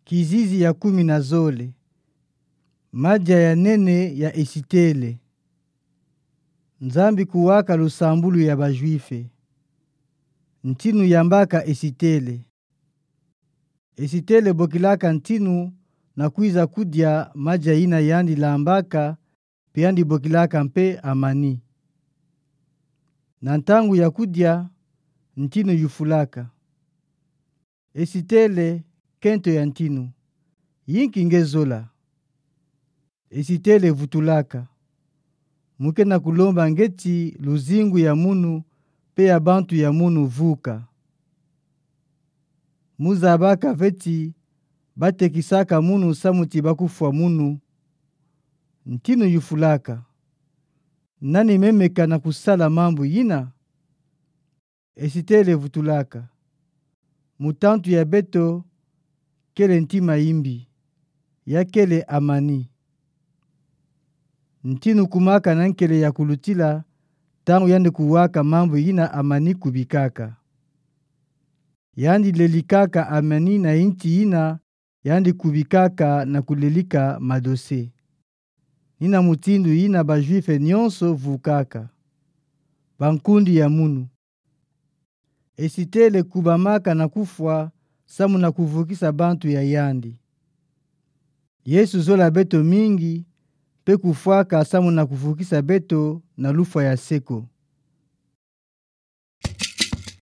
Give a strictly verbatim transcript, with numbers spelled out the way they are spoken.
Kizizi ya kumi na zole. Madia ya nene ya Esitele. Nzambi kuwaka lusambulu ya Bajuife. Ntinu yambaka Esitele. Esitele bokilaka ntinu na kwiza kudia madia yina yandi lambaka, mpe yandi bokilaka mpe Amani. Na ntangu ya kudia, ntinu yufulaka. Esitele, kento ya ntinu. Yinki nge zola? Esitele vutulaka. Mu ke na kulomba ngeti luzingu ya munu, mpe ya bantu ya munu vuka. Mu zabaka ve ti batekisaka munu samu ti bakufwa munu. Ntinu yufulaka. Nani memeka na kusala mambu yina? Esitele vutulaka. Mutantu ya beto kele ntima yimbi, ya kele Amani. Ntinu kumaka na nkele ya kulutila, ntangu yandi kuwaka mambu yina Amani kubikaka. Yandi lelikaka Amani na yinti yina yandi kubikaka na kulelika madose. Ni na mutindu yina Bajuife nyonso vukaka. Bankundi ya munu. Esitele kubamaka na kufwa samu na kuvukisa bantu ya yandi. Yesu zola beto mingi, mpe kufwaka samu na kuvukisa beto na lufwa ya seko.